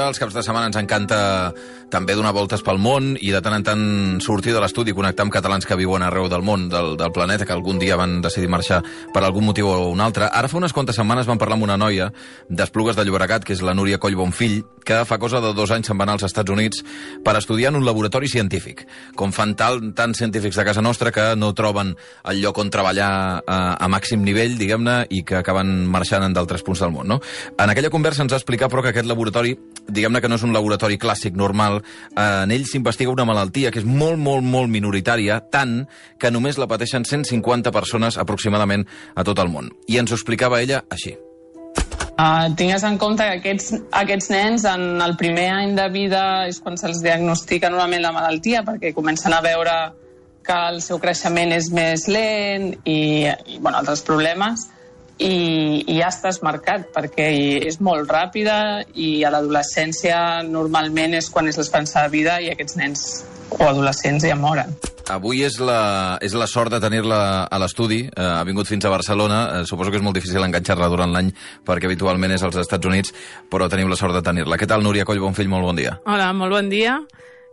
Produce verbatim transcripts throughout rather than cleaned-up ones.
els caps de setmana ens encanta també donar voltes pel món i de tant en tant sortir de l'estudi i connectar amb catalans que viuen arreu del món, del, del planeta, que algun dia van decidir marxar per algun motiu o un altre. Ara fa unes quantes setmanes vam parlar amb una noia d'Esplugues de Llobregat, que és la Núria Coll Bonfill, que fa cosa de dos anys se'n va anar als Estats Units per estudiar en un laboratori científic. Com fan tal, tants científics de casa nostra que no troben el lloc on treballar a, a màxim nivell, diguem-ne, i que acaben marxant en d'altres punts del món, no? En aquella conversa ens va explicar, però, que aquest laboratori, diguem-ne que no és un laboratori clàssic, normal. En ell s'investiga una malaltia que és molt, molt, molt minoritària, tant que només la pateixen cent cinquanta persones aproximadament a tot el món. I ens ho explicava ella així. Uh, tingues en compte que aquests, aquests nens en el primer any de vida és quan se'ls diagnostica normalment la malaltia, perquè comencen a veure que el seu creixement és més lent i, i bueno, altres problemes. I, i ja estàs marcat, perquè és molt ràpida i a l'adolescència normalment és quan és l'esperança de vida i aquests nens o adolescents ja moren. Avui és la, és la sort de tenir-la a l'estudi, eh, ha vingut fins a Barcelona, eh, suposo que és molt difícil enganxar-la durant l'any perquè habitualment és als Estats Units, però tenim la sort de tenir-la. Què tal, Núria Coll Bonfill? Molt bon dia. Hola, molt bon dia.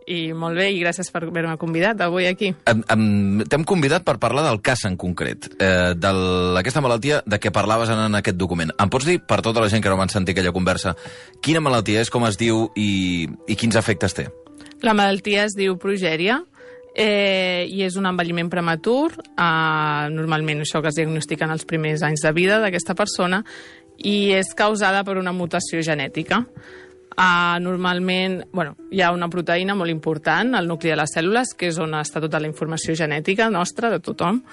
I molt bé, i gràcies per haver-me convidat avui aquí. T'hem convidat per parlar del cas en concret, eh, d'aquesta malaltia de què parlaves en, en aquest document. Em pots dir, per tota la gent que no van sentir aquella conversa, quina malaltia és, com es diu i, i quins efectes té? La malaltia es diu progèria eh, i és un envelliment prematur. Eh, normalment això que es diagnostica en els primers anys de vida d'aquesta persona i és causada per una mutació genètica. Uh, normalment, bueno, hi ha una proteïna molt important al nucli de les cèl·lules, que és on està tota la informació genètica nostra, de tothom,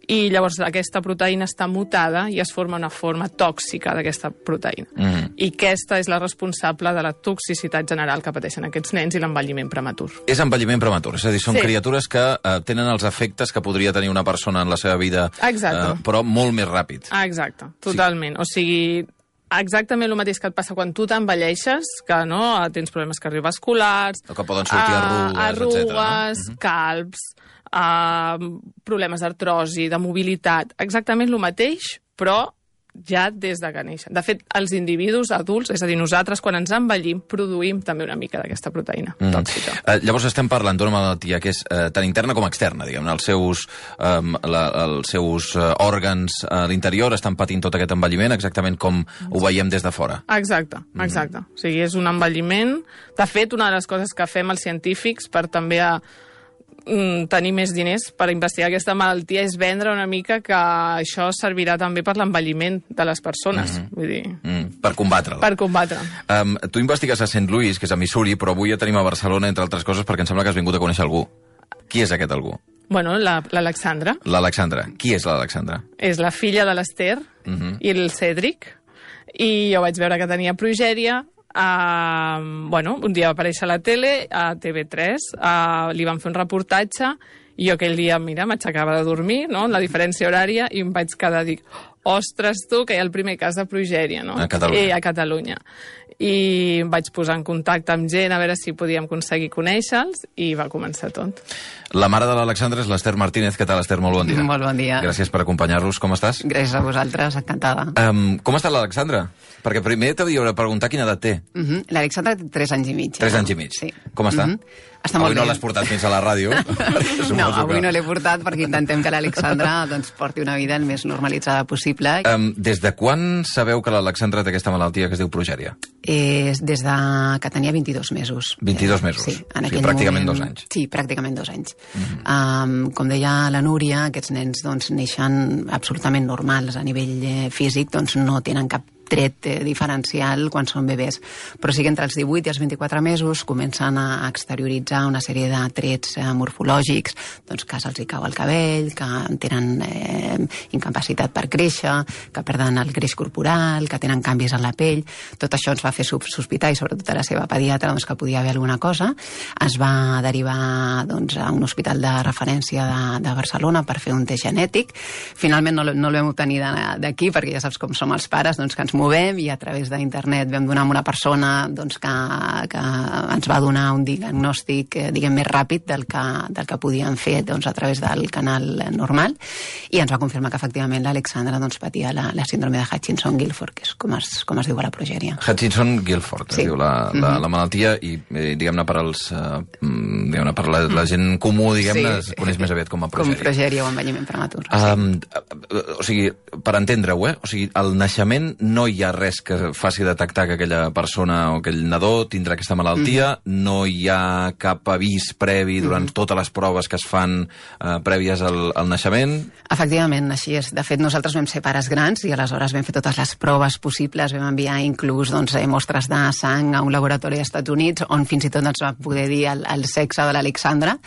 i llavors aquesta proteïna està mutada i es forma una forma tòxica d'aquesta proteïna. Mm. I aquesta és la responsable de la toxicitat general que pateixen aquests nens i l'envelliment prematur. És envelliment prematur, és a dir, són sí. criatures que uh, tenen els efectes que podria tenir una persona en la seva vida, uh, però molt més ràpid. Ah, exacte, totalment. Sí. O sigui, exactament el mateix que et passa quan tu t'envelleixes, que no tens problemes cardiovasculars, o que poden sortir arrugues, arrugues etcètera, no? calbs, uh, problemes d'artrosi, de mobilitat, exactament el mateix, però ja des de que neixen. De fet, els individus adults, és a dir, nosaltres, quan ens envellim, produïm també una mica d'aquesta proteïna mm. tòxica. Uh, llavors estem parlant d'una malaltia que és uh, tant interna com externa, diguem-ne. Els seus, um, la, els seus uh, òrgans a l'interior estan patint tot aquest envelliment, exactament com ho veiem des de fora. Exacte, exacte. Mm. O sigui, és un envelliment. De fet, una de les coses que fem els científics per també a tenir més diners per investigar aquesta malaltia és vendre una mica que això servirà també per l'envelliment de les persones. Mm-hmm. Vull dir... Mm, per combatre-la. Per combatre. Um, tu investigues a Saint Louis, que és a Missouri, però avui ja tenim a Barcelona, entre altres coses, perquè em sembla que has vingut a conèixer algú. Qui és aquest algú? Bueno, l'Alexandra. La, L'Alexandra. Qui és l'Alexandra? És la filla de l'Ester mm-hmm. i el Cèdric. I jo vaig veure que tenia progèria. Uh, bueno, un dia va aparèixer a la tele, a T V tres, uh, li van fer un reportatge i jo aquell dia, mira, m'aixecava de dormir, no?, en la diferència horària, i em vaig quedar, dic, ostres, tu, que hi ha el primer cas de progèria, no? A Catalunya. I, a Catalunya. I em vaig posar en contacte amb gent a veure si podíem aconseguir conèixer-los i va començar tot. La mare de l'Alexandra és l'Ester Martínez. Què tal, Ester? Molt bon dia. Molt bon dia. Gràcies per acompanyar-nos. Com estàs? Gràcies a vosaltres, encantada. Um, com està l'Alexandra? Perquè primer t'hauria de preguntar quina edat té. Uh -huh. L'Alexandra té tres anys i mig. Tres anys i mig? Sí. Com està? Uh -huh. Està avui molt no bé. l'has portat fins a la ràdio. No, avui que... no l'he portat perquè intentem que l'Alexandra doncs, porti una vida el més normalitzada possible. Um, des de quan sabeu que l'Alexandra té aquesta malaltia que es diu progèria? Eh, des de que tenia vint-i-dos mesos. vint-i-dos mesos? Sí, en o sigui, aquell pràcticament moment... dos anys. Sí, pràcticament dos anys. Uh-huh. um, com deia la Núria, aquests nens doncs, neixen absolutament normals a nivell eh, físic, doncs no tenen cap tret eh, diferencial quan són bebès. Però sí que entre els divuit i els vint-i-quatre mesos comencen a exterioritzar una sèrie de trets eh, morfològics, doncs que se'ls hi cau el cabell, que tenen eh, incapacitat per créixer, que perden el greix corporal, que tenen canvis en la pell. Tot això ens va fer sospitar, i sobretot a la seva pediatra, doncs, que podia haver alguna cosa. Es va derivar doncs, a un hospital de referència de, de Barcelona per fer un test genètic. Finalment no, no el vam obtenir d'aquí, perquè ja saps com som els pares, doncs, que ens movem, i a través d'internet vam donar amb una persona doncs, que, que ens va donar un diagnòstic eh, diguem, més ràpid del que, del que podíem fer doncs, a través del canal normal, i ens va confirmar que efectivament l'Alexandra doncs, patia la, la síndrome de Hutchinson-Gilford, que és com es, com es diu a la progèria. Hutchinson-Gilford, sí. es diu la, la, mm-hmm. la malaltia, i eh, diguem-ne per, els, uh, diguem per la, la gent comú, diguem-ne, sí. es coneix més aviat com a progèria. Com progèria o envelliment prematur. Um, sí. O sigui, per entendre-ho, eh? O sigui, al naixement no hi ha res que faci detectar que aquella persona o aquell nadó tindrà aquesta malaltia, mm-hmm. no hi ha cap avís previ durant mm-hmm. totes les proves que es fan eh, prèvies al, al naixement? Efectivament, així és. De fet, nosaltres vam ser pares grans i aleshores vam fer totes les proves possibles, vam enviar inclús doncs, mostres de sang a un laboratori als Estats Units on fins i tot ens va poder dir el, el sexe de l'Alexandra,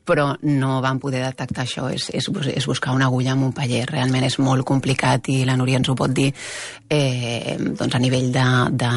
però no vam poder detectar això. És, és, és buscar una agulla amb un paller. Realment és molt complicat i la Núria ens ho pot dir eh, doncs a nivell de, de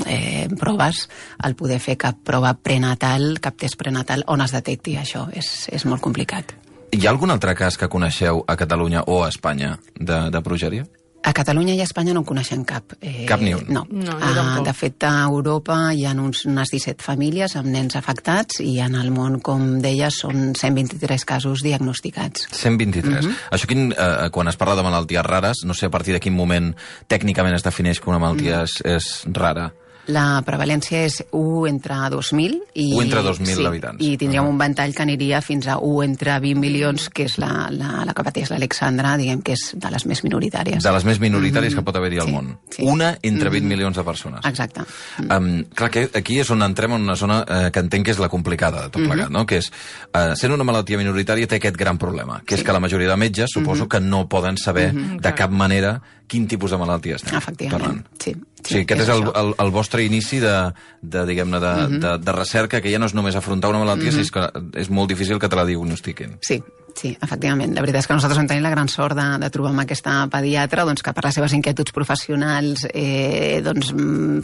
eh, proves, el poder fer cap prova prenatal, cap test prenatal on es detecti això. És, és molt complicat. Hi ha algun altre cas que coneixeu a Catalunya o a Espanya de, de progèria? A Catalunya i a Espanya no en coneixem cap. Eh, cap ni un? No. no uh, de fet, a Europa hi ha uns, unes disset famílies amb nens afectats i en el món, com deies, són cent vint-i-tres casos diagnosticats. cent vint-i-tres. Mm-hmm. Això quin, eh, quan es parla de malalties rares, no sé a partir de quin moment tècnicament es defineix que una malaltia mm. és, és rara. La prevalència és u entre dos mil i... u entre dos mil sí, habitants. I tindríem uh-huh. un ventall que aniria fins a u entre vint milions, que és la, la, la que pateix l'Alexandra, diguem que és de les més minoritàries. De les més minoritàries mm-hmm. que pot haver-hi al sí, món. Sí. Una entre vint mm-hmm. milions de persones. Exacte. Um, clar, que aquí és on entrem en una zona eh, que entenc que és la complicada de tot plegat, mm-hmm. no? Que és, eh, sent una malaltia minoritària té aquest gran problema, que sí. és que la majoria de metges suposo mm-hmm. que no poden saber mm-hmm. de cap manera quin tipus de malaltia estem Efectivament, parlant. sí. Sí, sí, aquest és, és el, el, el vostre inici de, de, diguem-ne, de, mm-hmm. de, de recerca, que ja no és només afrontar una malaltia, mm-hmm. sinó que és molt difícil que te la diagnostiquin. Sí, sí, efectivament. La veritat és que nosaltres vam tenir la gran sort de, de trobar amb aquesta pediatra doncs, que per les seves inquietuds professionals eh, doncs,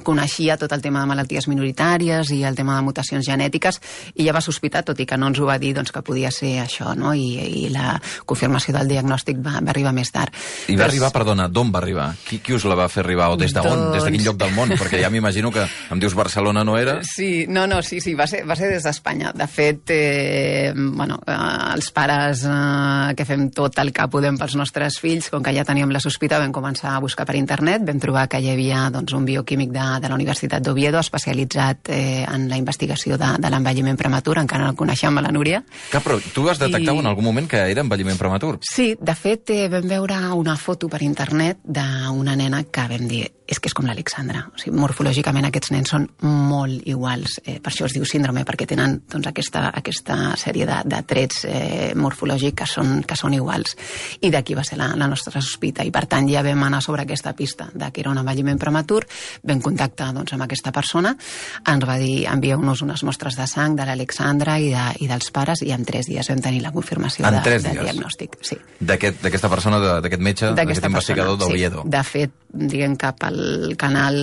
coneixia tot el tema de malalties minoritàries i el tema de mutacions genètiques, i ja va sospitar, tot i que no ens ho va dir, doncs, que podia ser això, no? I, i la confirmació del diagnòstic va, va arribar més tard. I va Però... arribar, perdona, d'on va arribar? Qui, qui us la va fer arribar? O des d'on? Doncs... Des de quin lloc del món? Perquè ja m'imagino que em dius Barcelona no era? Sí, no, no, sí, sí, va ser, va ser des d'Espanya. De fet, eh, bueno, eh, els pares eh, que fem tot el que podem pels nostres fills, com que ja teníem la sospita, vam començar a buscar per internet, vam trobar que hi havia doncs, un bioquímic de, de la Universitat d'Oviedo especialitzat eh, en la investigació de, de l'envelliment prematur, encara no el coneixem a la Núria. Que, però tu has detectat I... en algun moment que era envelliment prematur? Sí, de fet, eh, vam veure una foto per internet d'una nena que vam dir és que és com l'Alexandra. O sigui, morfològicament aquests nens són molt iguals. Eh, per això es diu síndrome, perquè tenen doncs, aquesta, aquesta sèrie de, de trets eh, morfològics que són, que són iguals. I d'aquí va ser la, la nostra sospita. I per tant ja vam anar sobre aquesta pista de que era un envelliment prematur, vam contactar doncs, amb aquesta persona, ens va dir envieu-nos unes mostres de sang de l'Alexandra i, de, i dels pares, i en tres dies vam tenir la confirmació de, del diagnòstic. Sí. D'aquesta aquest, persona, d'aquest metge, d'aquest investigador d'Oviedo. Sí. De fet, diguem cap al canal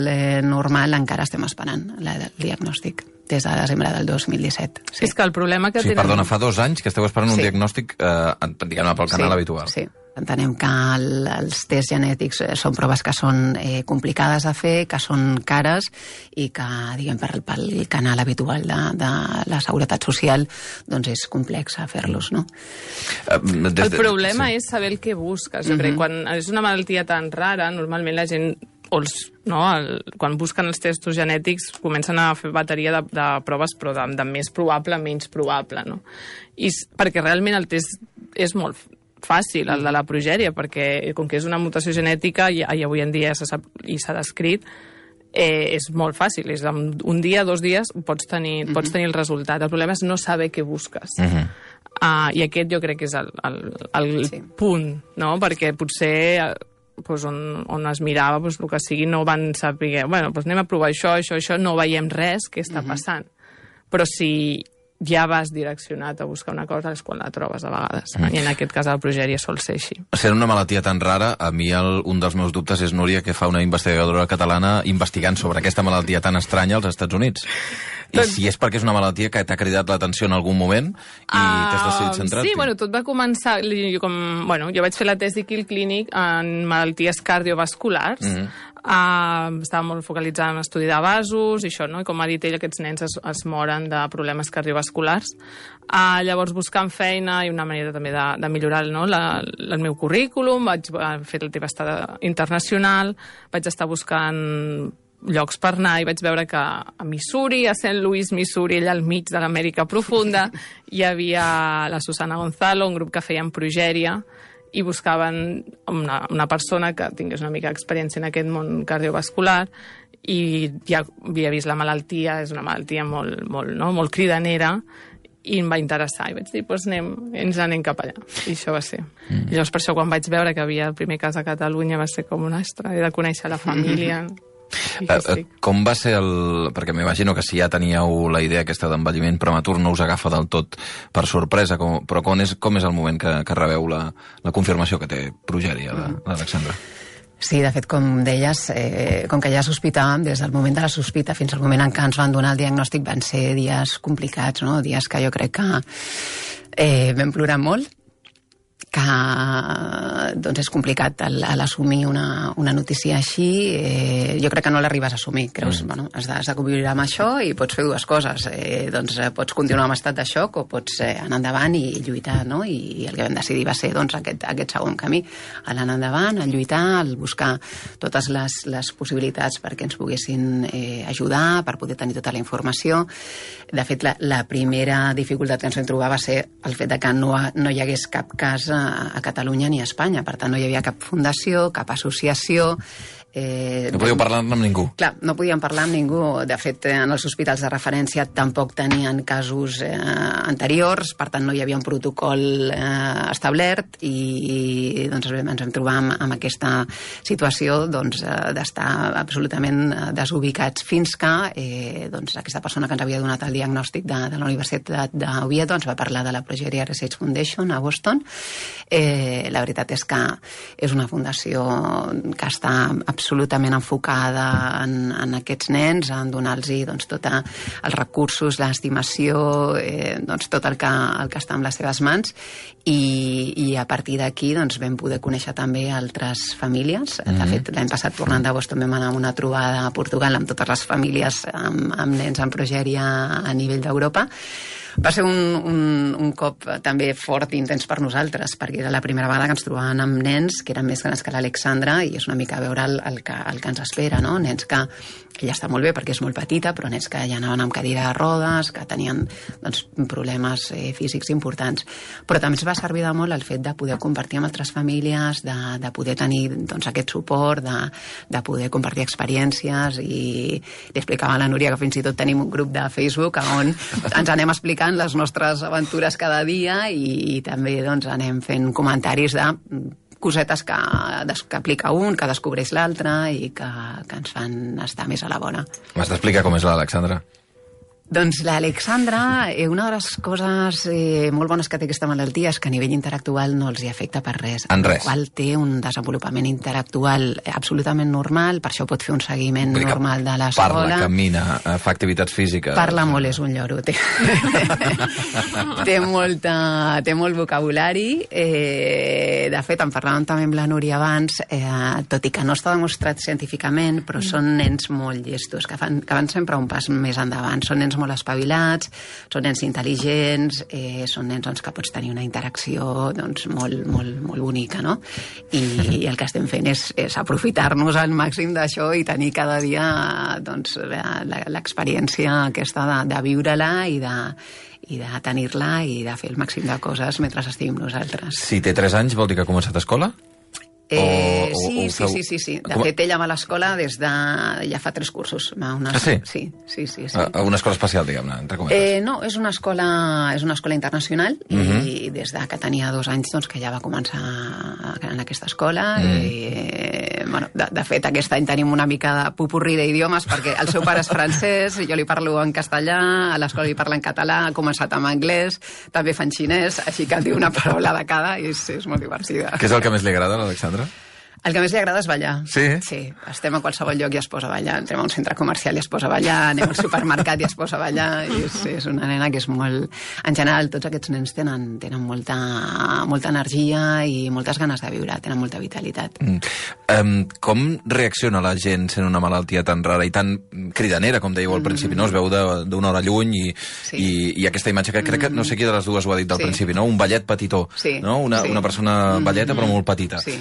eh, normal encara estem esperant la, el diagnòstic des de desembre del dos mil disset. Sí. És que el problema que sí, tenen... Perdona, fa dos anys que esteu esperant sí. un diagnòstic eh, diguem-ne pel canal sí, habitual. Sí, entenem que el, els tests genètics són proves que són eh, complicades de fer, que són cares i que, diguem, per, pel canal habitual de, de la Seguretat Social doncs és complex a fer-los, no? Uh, des de, el problema sí. és saber el que busques. Jo mm-hmm. crec, quan és una malaltia tan rara, normalment la gent o els, no, el, quan busquen els testos genètics comencen a fer bateria de, de proves, però de, de més probable a menys probable, no? I perquè realment el test és molt fàcil, el de la progèria, perquè com que és una mutació genètica i, i avui en dia ja se sap i s'ha descrit, eh, és molt fàcil. És un dia, dos dies, pots tenir, mm-hmm. pots tenir el resultat. El problema és no saber què busques. Mm-hmm. uh, I aquest jo crec que és el, el, el sí. punt, no? Perquè potser... Pues on, on es mirava, pues, el que sigui, no van saber, bueno, pues anem a provar això, això, això, no veiem res que està passant. Mm-hmm. Però si ja vas direccionat a buscar una cosa, és quan la trobes a vegades. Mm. I en aquest cas la progèria sol ser així. Sent una malaltia tan rara, a mi el, un dels meus dubtes és, Núria, que fa una investigadora catalana investigant sobre aquesta malaltia tan estranya als Estats Units. I tot... si és perquè és una malaltia que t'ha cridat l'atenció en algun moment i uh, t'has decidit centrar-t'hi. Sí, bueno, tot va començar... Jo, com, bueno, jo vaig fer la tesi aquí al clínic en malalties cardiovasculars, mm-hmm. Uh, estava molt focalitzada en l'estudi de vasos i això, no? I com ha dit ell, aquests nens es, es moren de problemes cardiovasculars. Uh, llavors, buscant feina i una manera també de, de millorar, no? la, el meu currículum, vaig fer la teva estada internacional, vaig estar buscant llocs per anar i vaig veure que a Missouri, a Saint Louis, Missouri, allà al mig de l'Amèrica profunda, hi havia la Susana Gonzalo, un grup que feien progèria, i buscaven una, una persona que tingués una mica d'experiència en aquest món cardiovascular i ja havia vist la malaltia, és una malaltia molt, molt, no? molt cridanera, i em va interessar. I vaig dir, doncs anem, ens anem cap allà. I això va ser. Mm. I llavors per això quan vaig veure que havia el primer cas a Catalunya va ser com un astre, he de conèixer la família... Uh, com va ser el... Perquè m'imagino que si ja teníeu la idea aquesta d'envelliment prematur no us agafa del tot per sorpresa, com... però com és, com és el moment que, que rebeu la, la confirmació que té progèria, l'Alexandra? Sí, de fet, com deies, eh, com que ja sospitàvem, des del moment de la sospita fins al moment en què ens van donar el diagnòstic van ser dies complicats, no? Dies que jo crec que eh, vam plorar molt, que doncs és complicat l'assumir una, una notícia així. Eh, jo crec que no l'arribes a assumir. Creus, mm. bueno, has de, has de conviure amb això i pots fer dues coses. Eh, doncs pots continuar amb estat de xoc o pots eh, anar endavant i lluitar, no? I, i el que vam decidir va ser doncs, aquest, aquest segon camí. Anar endavant, el lluitar, el buscar totes les, les possibilitats perquè ens poguessin eh, ajudar, per poder tenir tota la informació. De fet, la, la primera dificultat que ens vam trobar va ser el fet de que no, no hi hagués cap cas a Catalunya ni a Espanya. Per tant, no hi havia cap fundació, cap associació. Eh, no podíeu parlar amb ningú. Clar, no podíem parlar amb ningú. De fet, en els hospitals de referència tampoc tenien casos eh, anteriors, per tant no hi havia un protocol eh, establert i, i doncs, ens vam trobar amb, amb aquesta situació doncs, d'estar absolutament desubicats fins que eh, doncs, aquesta persona que ens havia donat el diagnòstic de, de la Universitat d'Oviedo ens va parlar de la Progeria Research Foundation a Boston. Eh, la veritat és que és una fundació que està absolutament enfocada en, en aquests nens, en donar-los doncs, tots els recursos, l'estimació, eh, doncs, tot el que, el que està en les seves mans i, i a partir d'aquí doncs, vam poder conèixer també altres famílies. Mm-hmm. De fet, l'any passat tornant de Boston vam anar a una trobada a Portugal amb totes les famílies amb, amb nens amb progèria a nivell d'Europa. Va ser un, un, un cop també fort i intens per nosaltres, perquè era la primera vegada que ens trobàvem amb nens que eren més grans que l'Alexandra i és una mica veure el, el, que, el que ens espera, no? Nens que ella està molt bé perquè és molt petita, però nens que ja anaven amb cadira de rodes, que tenien doncs, problemes eh, físics importants. Però també ens va servir de molt el fet de poder compartir amb altres famílies, de, de poder tenir doncs, aquest suport, de, de poder compartir experiències i li explicava a la Núria que fins i tot tenim un grup de Facebook on ens anem explicant les nostres aventures cada dia i, i també doncs, anem fent comentaris de cosetes que, que aplica un, que descobreix l'altre i que, que ens fan estar més a la vora. M'has d'explicar com és l'Alexandra? Doncs l'Alexandra, eh, una de les coses eh, molt bones que té aquesta malaltia és que a nivell intel·lectual no els hi afecta per res. En res. El qual té un desenvolupament intel·lectual absolutament normal, per això pot fer un seguiment normal de l'escola. Parla, camina, fa activitats físiques. Parla molt, és un lloro. Té, té, molta, té molt vocabulari. Eh, de fet, en parlàvem també amb la Núria abans, eh, tot i que no està demostrat científicament, però són nens molt llestos, que, fan, que van sempre un pas més endavant. Són nens molt espavilats, són nens intel·ligents, eh, són nens doncs, que pots tenir una interacció doncs, molt, molt, molt bonica, no? I, i el que estem fent és, és aprofitar-nos al màxim d'això i tenir cada dia doncs, l'experiència aquesta de, de viure-la i de, i de tenir-la i de fer el màxim de coses mentre estiguem nosaltres. Si té tres anys vol dir que ha començat a escola? Eh, o, sí, o sí, sí, sí, sí. De Com... fet, ella va a l'escola des de... ja fa tres cursos. Una... Ah, sí? Sí, sí, sí. sí. A una escola especial, diguem-ne, entre cometes. Eh, no, és una escola, és una escola internacional uh -huh. i des de que tenia dos anys doncs, que ja va començar en aquesta escola. Mm. I, bueno, de, de fet, aquest any tenim una mica de pupurri d'idiomes perquè el seu pare és francès, jo li parlo en castellà, a l'escola li parla en català, ha començat amb anglès, també fan xinès, així que diu una paraula de cada i és, és molt divertida. Què és el que més li agrada a l'Alexandra? El que més li agrada és ballar. Sí? Sí, estem a qualsevol lloc i es posa a ballar. Entrem a un centre comercial i es posa a ballar, anem al supermercat i es posa a ballar. I és, és una nena que és molt... En general, tots aquests nens tenen, tenen molta, molta energia i moltes ganes de viure, tenen molta vitalitat. Mm. Um, com reacciona la gent sent una malaltia tan rara i tan cridanera, com dèieu al principi, no? Es veu d'una hora lluny i, sí. i, i aquesta imatge que crec que no sé qui de les dues ho ha dit al sí. principi, no? Un ballet petitó, sí. no? Una, sí. una persona balleta però molt petita. Sí.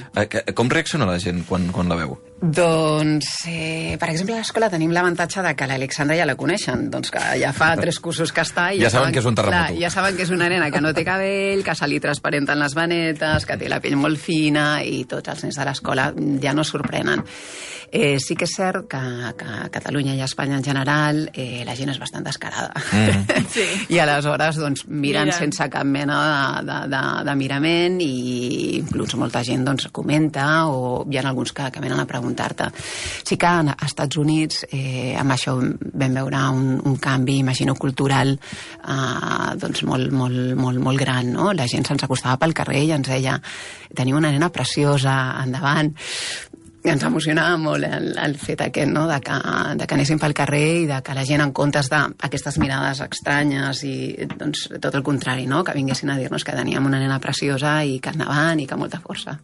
Com reacciona la gent quan, quan la veu? Doncs, eh, per exemple, a l'escola tenim l'avantatge de que l'Alexandra ja la coneixen, doncs que ja fa tres cursos que està i ja, ja saben que és un terremoto. Clar, ja saben que és una nena que no té cabell, que se li transparenten les vanetes, que té la pell molt fina i tots els nens de l'escola ja no sorprenen. Eh, sí que és cert que, que a Catalunya i a Espanya en general eh, la gent és bastant descarada. Mm. Sí. I aleshores doncs, miren Mira. sense cap mena de, de, de, de mirament i inclús molta gent doncs, comenta o hi ha alguns que, que venen a preguntar-te. Sí que als Estats Units eh, amb això vam veure un, un canvi, imagino, cultural eh, doncs molt, molt, molt, molt gran, no? La gent se'ns acostava pel carrer i ens deia teniu una nena preciosa, endavant. I ens emocionava molt el, el fet aquest, no? de, que, de que anéssim pel carrer i de que la gent, en comptes d'aquestes mirades estranyes i doncs, tot el contrari, no? Que vinguessin a dir-nos que teníem una nena preciosa i que endavant i que molta força.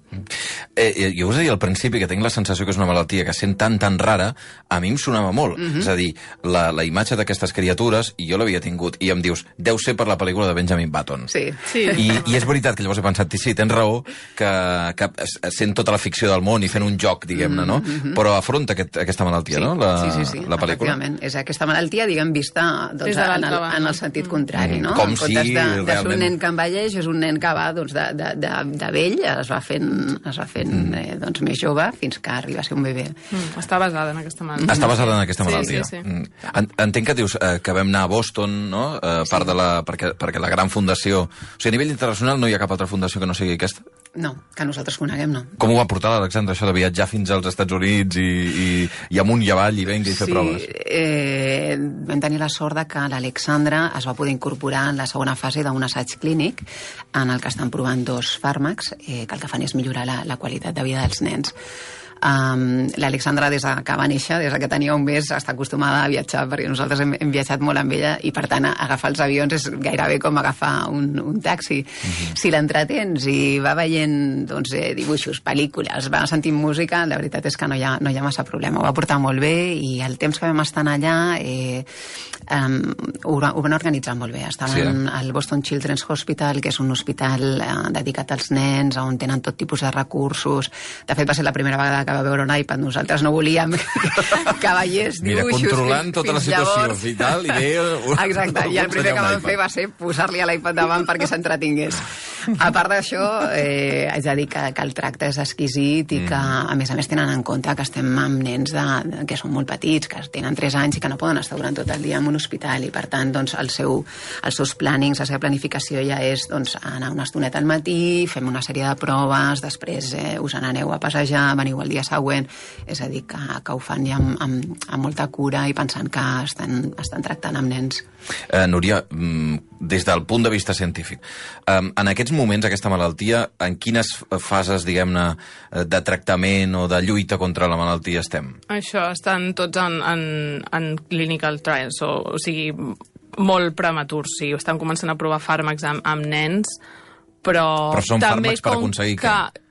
Eh, jo us deia al principi que tinc la sensació que és una malaltia que sent tan tan rara, a mi em sonava molt. Mm-hmm. És a dir, la, la imatge d'aquestes criatures, i jo l'havia tingut, i em dius, deu ser per la pel·lícula de Benjamin Button. Sí. sí. I, I és veritat que llavors he pensat, sí, tens raó, que, que sent tota la ficció del món i fent un joc, diguem-ne, no? Mm-hmm. Però afronta aquest, aquesta malaltia, sí. no? La, sí, sí, sí, la pel·lícula. Efectivament. És aquesta malaltia, diguem, vista doncs, en, el, en el sentit contrari, no? Com en si de, de realment... ser un nen que envelleix, és un nen que va doncs, de, de, de, de vell, es va fent, es va fent mm. eh, doncs, més jove fins que arriba a ser un bebè. Mm. Està basada en aquesta malaltia. Està basada en aquesta malaltia. Sí, sí, sí. Mm. Entenc que dius eh, que vam anar a Boston, no? Eh, part sí. de la, perquè, perquè la gran fundació... O sigui, a nivell internacional no hi ha cap altra fundació que no sigui aquesta? No, que nosaltres coneguem, no. Com ho va portar l'Alexandra, això de viatjar fins als Estats Units i, i, i amunt i avall i venga i fer sí, proves? Sí, eh, vam tenir la sort de que l'Alexandra es va poder incorporar en la segona fase d'un assaig clínic en el que estan provant dos fàrmacs eh, que el que fan és millorar la, la qualitat de vida dels nens. Um, L'Alexandra, des que va néixer, des que tenia un mes, està acostumada a viatjar, perquè nosaltres hem, hem viatjat molt amb ella i, per tant, agafar els avions és gairebé com agafar un, un taxi. Uh-huh. Si l'entretens i va veient doncs, eh, dibuixos, pel·lícules, va sentint música, la veritat és que no hi ha, no hi ha massa problema. Ho va portar molt bé i el temps que vam estar allà eh, um, ho, ho van organitzar molt bé. Estaven sí. al Boston Children's Hospital, que és un hospital eh, dedicat als nens, on tenen tot tipus de recursos. De fet, va ser la primera vegada que va veure un iPad. Nosaltres no volíem que veiés dibuixos. Mira, controlant fins, tota la situació llavors. I tal, i deia... Exacte, i el primer que vam fer va ser posar-li a l'iPad davant perquè s'entretingués. A part d'això, eh, haig de dir que, que el tracte és exquisit i que, a més a més, tenen en compte que estem amb nens de, que són molt petits, que tenen tres anys i que no poden estar durant tot el dia en un hospital i, per tant, doncs, el seu, els seus plànings, la seva planificació ja és doncs, anar una estoneta al matí, fem una sèrie de proves, després eh, us n'aneu a passejar, veniu el dia següent, és a dir, que, que ho fan ja amb, amb, amb molta cura i pensant que estan, estan tractant amb nens. Eh, Núria, des del punt de vista científic, eh, en aquests moments, aquesta malaltia, en quines fases, diguem-ne, de tractament o de lluita contra la malaltia estem? Això, estan tots en, en, en clinical trials, o, o sigui, molt prematurs, sí, estan començant a provar fàrmacs amb, amb nens, però... Però són també fàrmacs per aconseguir que... que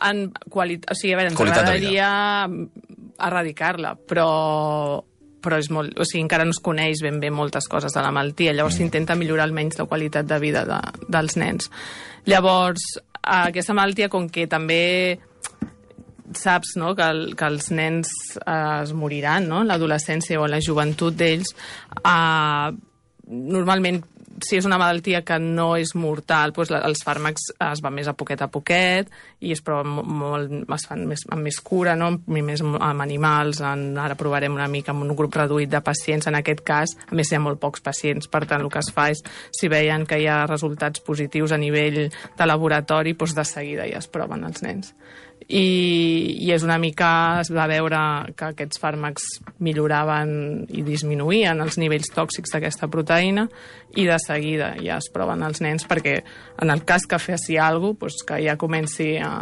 en qualitat, o sigui, a veure, ens agradaria erradicar-la, però, però és molt, o sigui, encara no es coneix ben bé moltes coses de la malaltia, llavors s'intenta mm. millorar almenys la qualitat de vida de, dels nens. Llavors, aquesta malaltia, com que també saps, no?, que, el, que els nens eh, es moriran, no?, en l'adolescència o en la joventut d'ells, eh, normalment, si és una malaltia que no és mortal, doncs la, els fàrmacs es van més a poquet a poquet i es proven molt, es fan més, amb més cura, no? Més amb animals, en, ara provarem una mica amb un grup reduït de pacients, en aquest cas, a més hi ha molt pocs pacients, per tant el que es fa és, si veien que hi ha resultats positius a nivell de laboratori, doncs de seguida ja es proven els nens. I, i és una mica, es va veure que aquests fàrmacs milloraven i disminuïen els nivells tòxics d'aquesta proteïna i de seguida ja es proven els nens perquè en el cas que fessi alguna cosa, doncs que ja comenci a,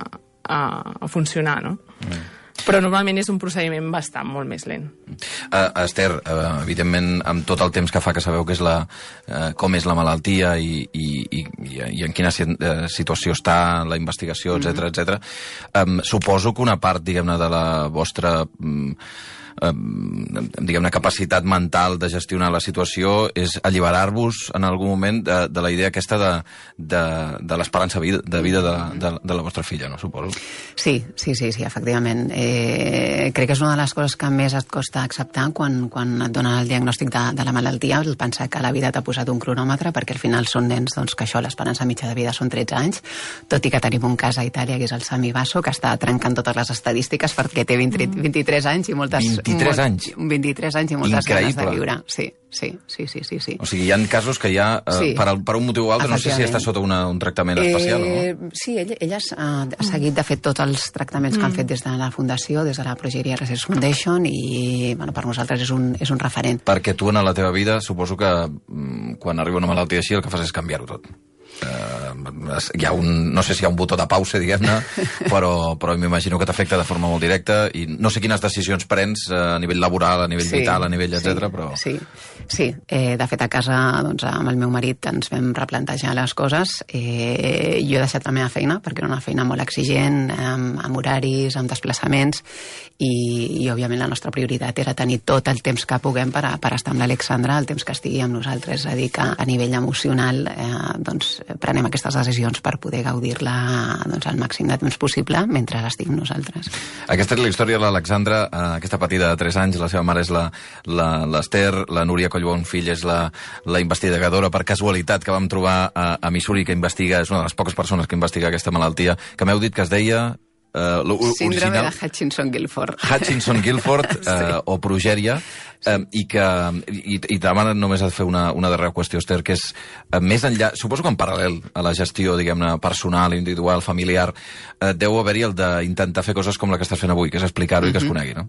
a, a funcionar, no? Mm. Però normalment és un procediment bastant molt més lent. Uh, Esther, uh, evidentment, amb tot el temps que fa que sabeu que és la, uh, com és la malaltia i, i, i, i en quina situació està la investigació, etcètera, etcètera, um, suposo que una part, diguem-ne, de la vostra... Um, diguem-ne, capacitat mental de gestionar la situació és alliberar-vos en algun moment de, de la idea aquesta de, de, de l'esperança vida, de vida de, de, de la vostra filla, no? Suposo. Sí, sí, sí, sí, efectivament. Eh, crec que és una de les coses que més et costa acceptar quan, quan et donen el diagnòstic de, de la malaltia, el pensar que la vida t'ha posat un cronòmetre, perquè al final són nens doncs, que això, l'esperança mitja de vida són tretze anys, tot i que tenim un cas a Itàlia, que és el Sami Basso, que està trencant totes les estadístiques perquè té vint, vint-i-tres anys i moltes... vint-i-tres anys? vint-i-tres anys i moltes Increïble. ganes de viure. Sí, sí, sí, sí, sí, sí. O sigui, hi ha casos que ja, eh, sí. per, per un motiu o altre, no sé si està sota una, un tractament especial eh, o no. Sí, ella, ella ha, ha seguit, de fet, tots els tractaments mm. que han fet des de la Fundació, des de la Progeria Research Foundation, i bueno, per nosaltres és un, és un referent. Perquè tu, en la teva vida, suposo que mm, quan arriba una malaltia així, el que fas és canviar-ho tot. Uh, hi ha un, no sé si hi ha un botó de pausa, diguem-ne, però, però m'imagino que t'afecta de forma molt directa i no sé quines decisions prens uh, a nivell laboral, a nivell sí, vital, a nivell etcètera, sí, però... Sí, sí. Eh, de fet a casa doncs, amb el meu marit ens vam replantejar les coses. Eh, jo he deixat la meva feina perquè era una feina molt exigent, amb, amb horaris, amb desplaçaments, i, i òbviament la nostra prioritat era tenir tot el temps que puguem per, a, per estar amb l'Alexandra, el temps que estigui amb nosaltres, és a dir, que a nivell emocional eh, doncs, prenem aquestes decisions per poder gaudir-la doncs, al màxim de temps possible mentre estigui amb nosaltres. Aquesta és la història de l'Alexandra, eh, aquesta petita de tres anys, la seva mare és l'Esther, la, la Núria Collbonfill és la, la investigadora per casualitat que vam trobar a, a Missouri, que investiga, és una de les poques persones que investiga aquesta malaltia, que m'heu dit que es deia... Uh, Síndrome de Hutchinson-Gilford. Hutchinson-Gilford, uh, sí. O progèria, uh, i que i, i demana només a fer una, una darrera qüestió, Esther, que és uh, més enllà, suposo que en paral·lel a la gestió, diguem-ne, personal, individual, familiar, uh, deu haver-hi el d'intentar fer coses com la que estàs fent avui, que és explicar-ho mm-hmm. i que es conegui, no?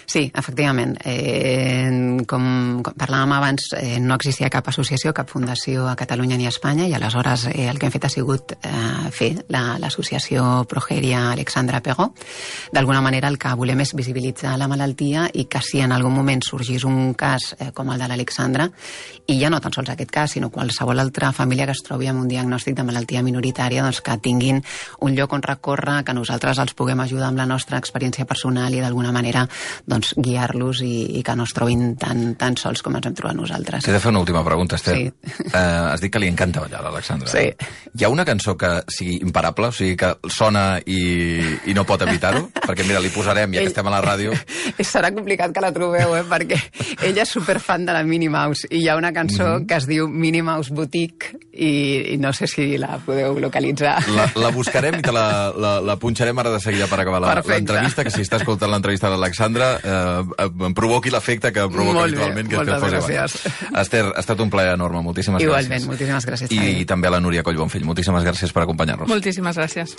Sí, efectivament. Eh, com, com parlàvem abans, eh, no existia cap associació, cap fundació a Catalunya ni a Espanya, i aleshores eh, el que hem fet ha sigut eh, fer l'associació la, Progeria Alexandra Pegó. D'alguna manera el que volem és visibilitzar la malaltia i que si en algun moment sorgís un cas eh, com el de l'Alexandra, i ja no tan sols aquest cas, sinó qualsevol altra família que es trobi amb un diagnòstic de malaltia minoritària, doncs que tinguin un lloc on recórrer, que nosaltres els puguem ajudar amb la nostra experiència personal i d'alguna manera doncs, guiar-los i, i que no es trobin tan, tan sols com ens hem trobat nosaltres. T'he de fer una última pregunta, Esther. Sí. Uh, has dit que li encanta ballar a l'Alexandra. Sí. Hi ha una cançó que sigui imparable, o sigui que sona i, i no pot evitar-ho? Perquè, mira, li posarem, ja que estem a la ràdio... Serà complicat que la trobeu, eh? Perquè ella és superfan de la Minnie Mouse i hi ha una cançó mm-hmm. que es diu Minnie Mouse Boutique i, i no sé si la podeu localitzar. La, la buscarem i te la, la, la punxarem ara de seguida per acabar l'entrevista, que si està escoltant l'entrevista de l'Alexandra eh, em provoqui l'efecte que provoca Molt habitualment, bé, que et posi gràcies. Esther, ha estat un plaer enorme, moltíssimes Igualment, gràcies. moltíssimes gràcies. I, i també a la Núria Collbonfill, moltíssimes gràcies per acompanyar-nos. Moltíssimes gràcies.